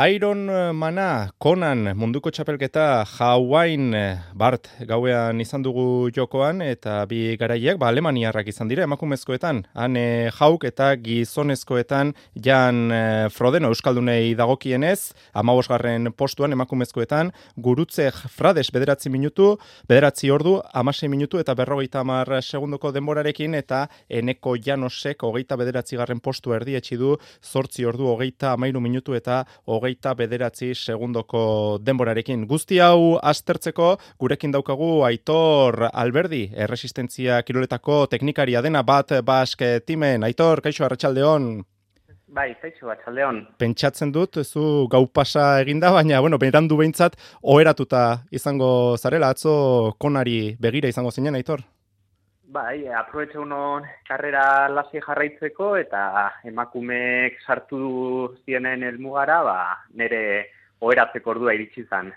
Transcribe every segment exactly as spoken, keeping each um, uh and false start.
Iron Mana, Conan, munduko txapelketa Hawain Bart gauean izan dugu jokoan, eta bi garaileak ba, alemaniarrak izan dira emakumezkoetan. Han e, Hauk eta gizonezkoetan Jan e, Frodeno euskaldunei dagokienez, hamabosgarren postuan emakumezkoetan, Gurutze Frades bederatzi minutu, bederatzi ordu, hamasei minutu eta berrogeita hamar segundoko denborarekin, eta Eneko Janosek hogeita bederatzigarren postu erdietsi du, zortzi ordu, hogeita hamairu minutu eta hogeita hogeita bederatzi segundoko denborarekin. Guzti hau aztertzeko, gurekin daukagu Aitor Alberdi, erresistentzia kiroletako teknikaria dena bat bask timen. Aitor, kaixo, arratsaldeon. Bai, kaixo, arratsaldeon. Pentsatzen dut, zu gau pasa eginda, baina, bueno, berandu behintzat, oheratuta izango zarela, atzo konari begira izango zinen, Aitor? Bai, aprobetxe unon karrera lasi jarraitzeko eta emakumeek sartu zienen helmugara, ba, nire oheratzeko ordua iritsi zan.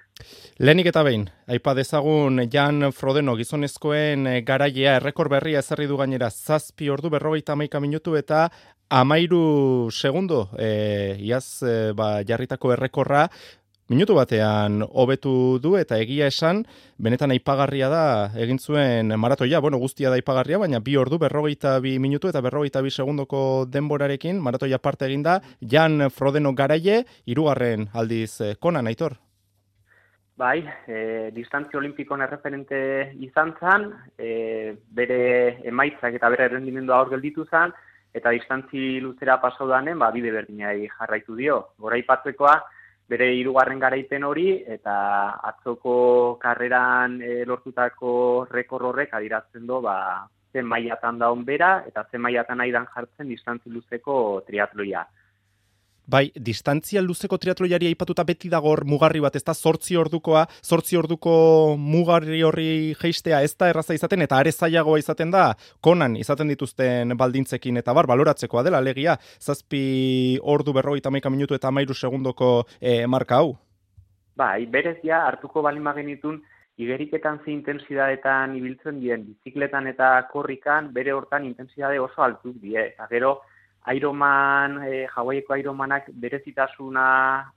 Lehenik eta behin, aipa dezagun Jan Frodeno gizonezkoen garailea errekor berria ezarri du gainera zazpi ordu berrogeita hamaika minutu eta hamairu segundo, e, iaz e, ba, jarritako errekorra, minutu batean hobetu du eta egia esan, benetan aipagarria da egin zuen maratoia, bueno, guztia da aipagarria, baina bi ordu berrogeita bi minutu eta berrogeita bi segundoko denborarekin, maratoia parte egin da, Jan Frodeno garaile, hirugarren aldiz Conan, Aitor. Bai, e, distantzia olimpikon erreferente izan zan, e, bere emaitzak eta bere errendimendua hor gelditu zan, eta distantzi luzera pasaudanen, ba, bide berdinai jarraitu dio. Goraipatzekoa, bere hirugarren garaipen hori eta atzoko karreran e, lortutako rekor horrek adierazten du ba, zen mailatan daun bera eta zen mailatan aidan jartzen distantzi luzeko triatloia. Bai, distantzia luzeko triatloiari aipatuta beti dago hor mugarri bat, ez da zortzi ordukoa, zortzi orduko mugarri horri jeistea ez da erraza izaten, eta are zailagoa izaten da, Conan izaten dituzten baldintzekin, eta bar, baloratzekoa dela, alegia, zazpi ordu berrogeita hamaika minutu eta hamairu segundoko e, marka hau. Bai, berez ja, hartuko balin bagenitun, igeriketan ze intensidadetan ibiltzen dien, bizikletan eta korrikan, bere hortan intensidade oso altuk die, eta gero, Ironman, e, Hawaiiko Ironmanak berezitasuna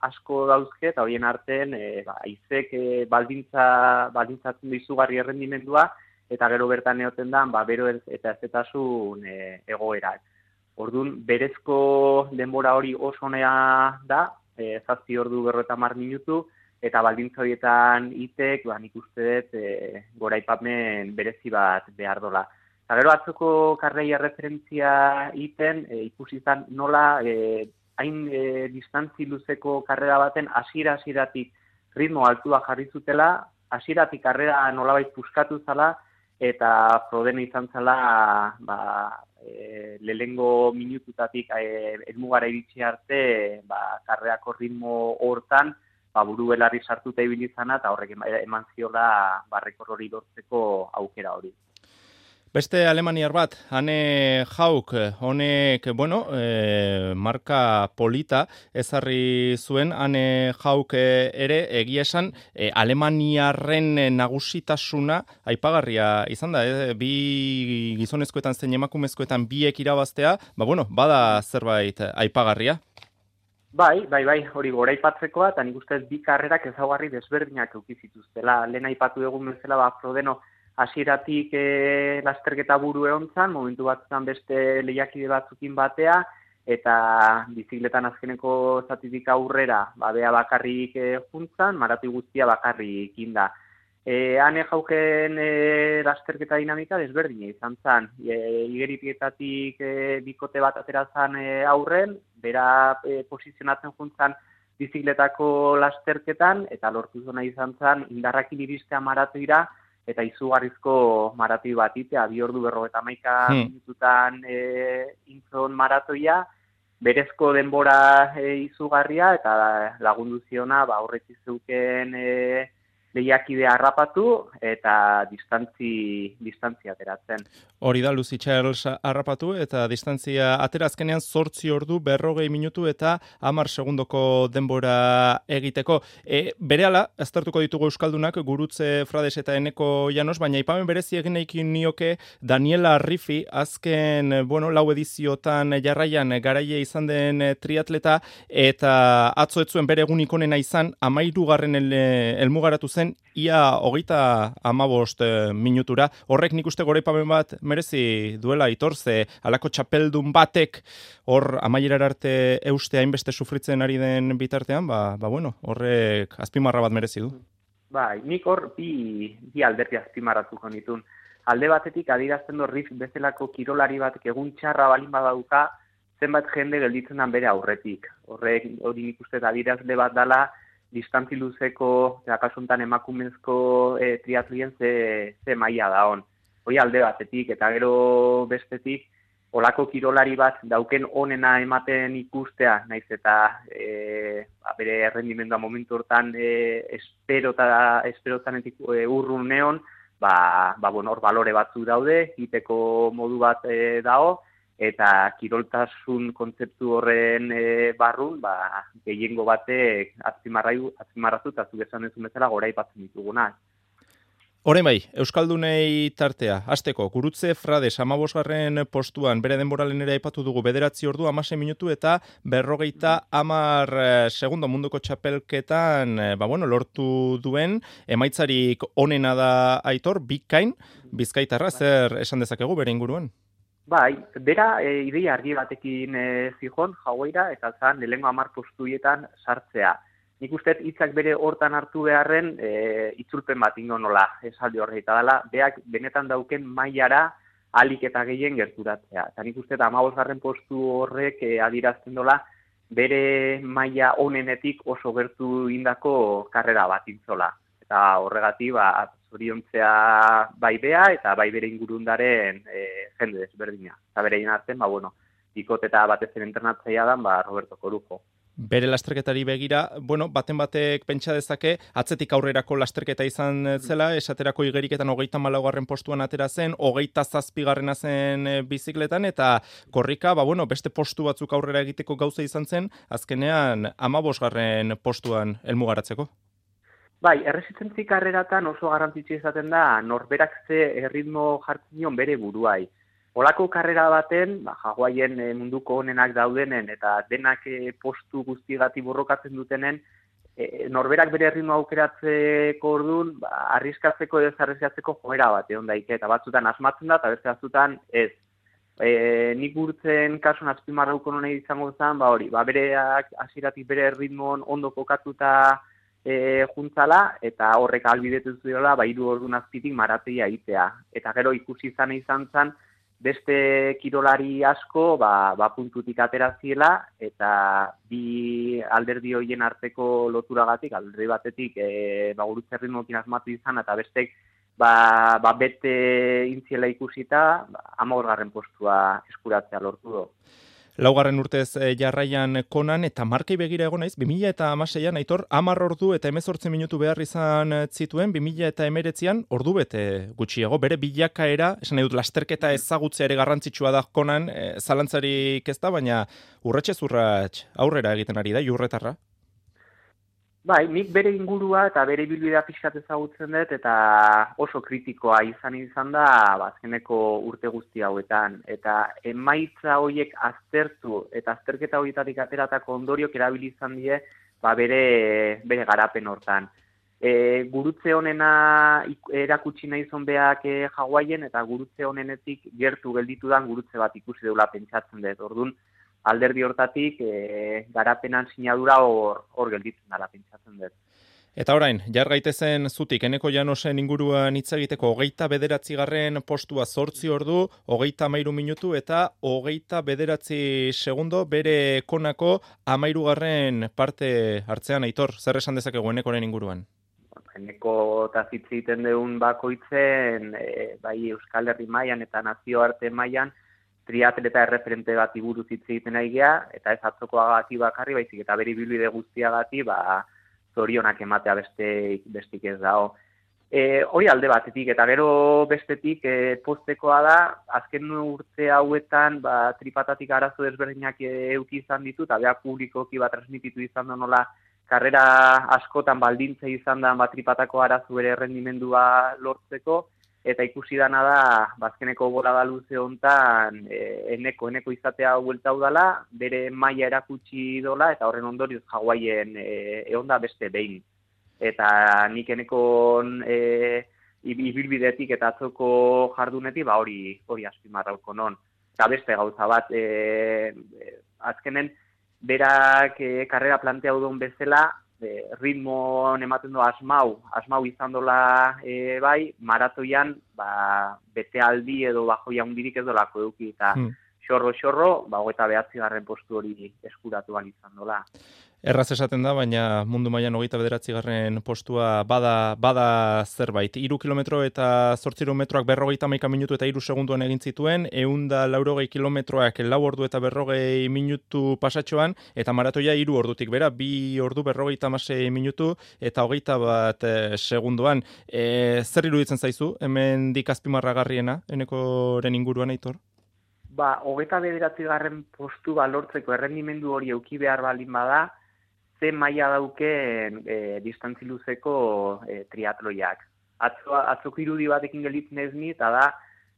asko dauzke, eta horien artean, e, ba, aizek e, baldintza, baldintzatzen du izugarri errendimendua, eta gero bertan egoten da, ba, bero eta ezetasun e, egoerak. Orduan, berezko denbora hori oso honea da, e, zazpi ordu berrogeita hamar minutu, eta baldintza horietan itek, ba, nik uste dut, e, goraipamen berezi bat behar dola. Eta gero atzoko karreia referentzia iten, e, ikusi izan nola e, hain e, distantzi luzeko karrera baten hasiera-hasieratik ritmo altua jarri zutela, hasieratik karrera nolabait puskatu zala, eta Frodeno izan zala ba, e, lehengo minututatik e, helmugara iritsi arte ba, karreako ritmo hortan ba, buru belarri sartuta ibili izana, eta horrek eman ziola barrekor hori lortzeko aukera hori. Beste alemaniar bat, Ane Hauk, honek, bueno, e, marka polita ezarri zuen, Ane Hauk ere egia esan, e, alemaniarren nagusitasuna aipagarria izan da, e, bi gizonezkoetan zein emakumezkoetan biek irabaztea, ba bueno, bada zerbait aipagarria. Bai, bai, bai, hori goraipatzekoa, eta nik ustez bi karrerak ezaugarri desberdinak eduki zituztela. Lehen aipatu egun bezala, ba, Frodeno hasieratik e, lasterketa buru egontzan, momentu batzutan beste lehiakide batzukin batea, eta bizikletan azkeneko zatitik aurrera, ba, bea bakarrik e, juntzan, maratu guztia bakarrik inda. E, Ane Hauken e, lasterketa dinamika desberdina izan zen. E, Igeritietatik e, bikote bat atera zen e, aurren, bera e, posizionatzen juntzan bizikletako lasterketan, eta lortu zona izan zen indarrakin iristea maratuira, eta izugarrizko maratoi bat itea, bi ordu berrogeita hamaika hmm. minututan e, intzon maratoia, berezko denbora e, izugarria, eta lagundu ziona, ba, horretzi zeuken e, lehiakidea harrapatu eta distantzi, distantzia ateratzen. Hori da, Lucy Charles harrapatu eta distantzia aterazkenean zortzi ordu berrogei minutu eta hamar segundoko denbora egiteko. E, berehala, aztertuko ditugu euskaldunak, Gurutze Frades eta Eneko Llanos, baina aipamen berezi egin nahi nioke Daniela Arrifi, azken, bueno, lau ediziotan jarraian garaile izan den triatleta, eta atzo ez zuen bere egunik onena izan, amairugarren el, elmugaratu zen, ia hogeita amabost minutura. Horrek nik uste goraipamen bat merezi duela Aitor, ze halako txapeldun batek hor amaierara arte euste hainbeste sufritzen ari den bitartean, ba, ba bueno, horrek azpimarra bat merezi du. Bai, nik hor bi, bi alderdi azpimarratuko nitun. Alde batetik adierazten du Riff bezalako kirolari batek egun txarra balin badauka, zenbat jende gelditzen dan bere aurretik. Horrek hori nik uste adierazle bat dala, distantzi luzeko, akasuntan emakumezko e, triatlien ze, ze maila da hon. Hori alde batetik, eta gero bestetik, olako kirolari bat dauken onena ematen ikustea, naiz eta e, bere errendimendua momentu hortan e, esperota, esperotanetik e, urrun neon, ba, ba bueno, hor balore batzuk daude, egiteko modu bat e, dago, eta kiroltasun kontzeptu horren e, barrun, ba, gehiengo batek azpimarratu eta zuk esan duzun bezala gora aipatzen dituguna. Orain bai, Euskaldunei tartea, hasteko Gurutze Frades amabosgarren postuan, bere denboralen ere aipatu dugu bederatzi ordu, hamasei minutu eta berrogeita hamar segundo munduko txapelketan, ba bueno, lortu duen, emaitzarik onena da Aitor, bikain, bizkaitarra, zer esan dezakegu bere inguruan? Bai, bera e, ideia argi batekin e, zijon, jaueira, eta zan, lehengo hamar postuietan sartzea. Nik uste hitzak bere hortan hartu beharren e, itzulpen bat ingo nola, esaldi horreita dela, beak benetan dauken mailara alik eta gehien gerturatzea. Eta nik uste hamabosgarren postu horrek e, adirazten dola, bere maila onenetik oso gertu indako karrera bat intzola. Eta horregatik, ba, zoriontzea bai bea eta bai bere ingurundaren e, jende desberdina. Eta bere artean, ba, bueno, ikot eta batez ere entrenatzaia dan, ba, Roberto Corujo. Bere lasterketari begira, bueno, baten batek pentsa dezake, atzetik aurrerako lasterketa izan zela, esaterako igeriketan hogeita malaugarren postuan atera zen, hogeita zazpigarrena zen bizikletan, eta korrika, ba, bueno, beste postu batzuk aurrera egiteko gauza izan zen, azkenean amabosgarren postuan helmugaratzeko. Bai, erresistentzi karreratan oso garrantzitsu izaten da, norberak ze erritmo jartzen dion bere buruai. Olako karrera baten, ba, Hawaien e, munduko onenak daudenen eta denak e, postu guztigati borrokatzen dutenen, e, norberak bere erritmo aukeratzeko orduan, ba, arriskatzeko edo zarrezgatzeko joera bat egon daike, eta batzutan asmatzen da, eta beste batzutan ez. E, nik urtzen kasun azpimarrauko nonei izango zen, ba hori, ba, bereak hasieratik bere erritmoan ondo kokatuta e, juntzala, eta horrek ahalbidetu zuela, ba, hiru ordun azpitik marateia egitea. Eta gero ikusi izan izan zen, beste kirolari asko ba, ba puntutik ateraziela eta bi alderdi horien arteko loturagatik, alderdi batetik e, ba, Gurutze erritmoekin asmatu izan eta bestek ba, ba bete intziela ikusita ba, hamabosgarren postua eskuratzea lortu du. Laugarren urtez jarraian Konan eta markei begira egon naiz, bi mila hamaseian Aitor hamar ordu eta hemezortzi minutu behar izan zituen, bi mila hemeretzian ordu bete gutxiago, bere bilakaera, esan nahi dut lasterketa ezagutzea ere garrantzitsua da Konan, e, zalantzarik ez da, baina urratxez urratx aurrera egiten ari da, jurretarra. Bai, nik bere ingurua eta bere ibilbidea pixkat ezagutzen dut eta oso kritikoa izan izan da azkeneko urte guzti hauetan. Eta emaitza horiek aztertu eta azterketa horietatik ateratako ondoriok erabili izan die ba, bere, bere garapen hortan. E, gurutze honena erakutsi nahi zonbeak e, Hawaien eta gurutze honenetik gertu gelditu dan gurutze bat ikusi deula pentsatzen dut. Orduan, alderdi hortatik e, garapenan sinadura hor, hor gelditzen dela pentsatzen dut. Eta orain, jar gaitezen zutik, Eneko Llanosen inguruan hitz egiteko hogeita bederatzigarren postua zortzi ordu, hogeita hamairu minutu eta hogeita bederatzi segundo bere Konako hamairugarren parte hartzean. Aitor, zer esan dezakegu Enekoren inguruan? Eneko eta hitz egiten deun bakoitzen, e, bai Euskal Herri mailan eta nazioarte mailan, triatleta erreferente bat buruz hitz egiten nahi gea, eta ez atzokoagatik bakarri, baizik eta bere ibilbide guztiagatik, ba, zorionak ematea beste, bestik ez dago. E, hori alde batetik, eta gero bestetik e, postekoa da, azken urte hauetan ba, tripatatik arazo desberdinak euki izan ditu, eta beha publikoki bat transmititu izan da nola, karrera askotan baldintza izan da ba, tripatako arazo bere errendimendua lortzeko, eta ikusi dana da, bazkeneko bolada luze hontan, e, eneko, eneko izatea huelta udala, bere maila erakutsi dola, eta horren ondorioz Hawaien e, egon da beste behin. Eta nik enekon e, ibilbidetik eta atzoko jardunetik, ba hori hori azpimarrauko non. Eta beste gauza bat, e, azkenen, berak e, karrera planteau duen bezala, e, ritmoan ematen du asmau, asmau izan dola e, bai, maratoian, ba, bete aldi edo bajoia hundirik ez dolako eduki, eta hmm. xorro-xorro, ba, hogeita behatzi garren postu hori eskuratu ahal izan dola. Erraz esaten da, baina mundu mailan hogeita bederatzi garren postua bada, bada zerbait. Hiru kilometro eta zortziehun metroak berrogeita hamaika minutu eta hiru segunduan egin zituen, ehun eta laurogei kilometroak lau ordu eta berrogei minutu pasatxoan, eta maratoia hiru ordutik bera, bi ordu berrogeita hamasei minutu eta hogeita bat e, segunduan. E, zer iruditzen zaizu, hemen dik azpimarragarriena, enekoren inguruan, Aitor? Ba, hogeita bederatzi garren postu lortzeko errendimendu hori euki behar balin bada, ze maila dauken e, distantzi luzeko e, triatloiak. Atzo, atzoko irudi batekin gelitzen ez ni, eta da,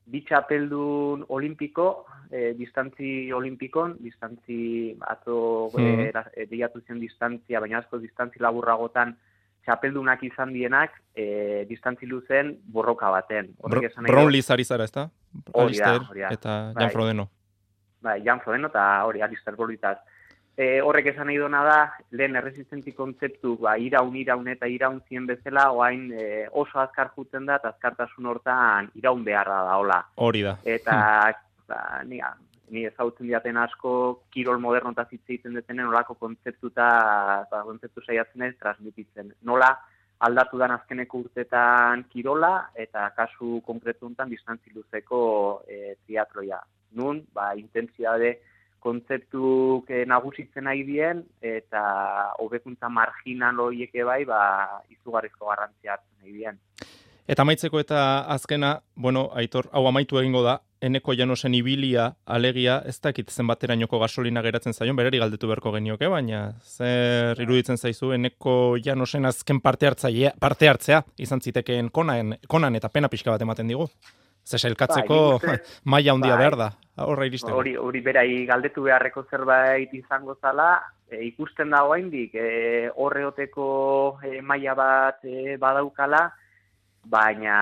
bi txapeldun olimpiko, e, distantzi olimpikon, distantzi atzo mm. e, deiatu zen distantzia, baina asko distantzi laburragotan txapeldunak izan dienak, e, distantzi luzen borroka baten. Brownlee zari zara, ez da? Hori da, hori da. Eta Jan Frodeno. Bai, Jan Frodeno eta hori, Alistair Bolitaz. E, horrek esan nahi dona da, lehen erresistentzi kontzeptu, ba, iraun, iraun eta iraun zien bezala, oain e, oso azkar jutzen da, eta azkartasun hortan iraun beharra da, hola. Hori da. Eta, ba, ni, ni ezautzen diaten asko, kirol moderno eta zitze egiten detenen, olako kontzeptu eta ba, kontzeptu saiatzen ez, transmititzen. Nola, aldatu dan azkeneko urtetan kirola, eta kasu konkretu honetan distantzi luzeko e, triatloia. Nun, ba, intentsitate kontzeptuk nagusitzen nahi dien, eta hobekuntza marginal horiek bai, ba, izugarrizko garrantzia hartzen nahi dien. Eta amaitzeko eta azkena, bueno, Aitor, hau amaitu egingo da, Eneko Llanosen ibilia, alegia, ez dakit zenbaterainoko gasolina geratzen zaion, berari galdetu beharko genioke, baina zer iruditzen zaizu, Eneko Llanosen azken parte hartzailea, parte hartzea, izan zitekeen konan, konan eta pena pixka bat ematen digu. Ze sailkatzeko bai, maila handia bai, behar da, horra iristeko. Hori, hori berai galdetu beharreko zerbait izango zala, e, ikusten da oraindik e, horreoteko e, maila bat e, badaukala, baina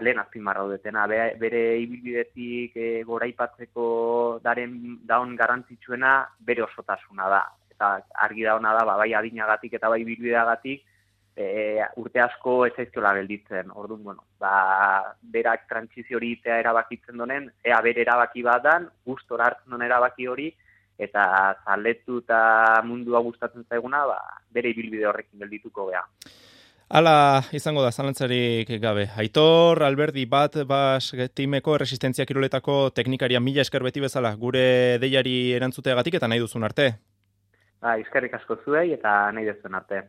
lehen azpimarraudetena, bere, bere ibilbidetik e, goraipatzeko daren daun garrantzitsuena bere osotasuna da. Eta argi dauna da, ba, bai adinagatik eta bai ibilbideagatik, E, urte asko ez zaizkiola gelditzen. Orduan, bueno, ba, berak trantsizio hori itea erabakitzen donen, ea bere erabaki bat dan, gustora hartzen donen erabaki hori, eta zaletu eta mundua gustatzen zaiguna, ba, bere ibilbide horrekin geldituko gea. Hala izango da, zalantzarik gabe. Aitor, Alberdi, bat bas timeko erresistentzia kiroletako teknikaria mila esker beti bezala, gure deiari erantzuteagatik eta nahi duzun arte. Ba, eskerrik asko zuei eta nahi duzun arte.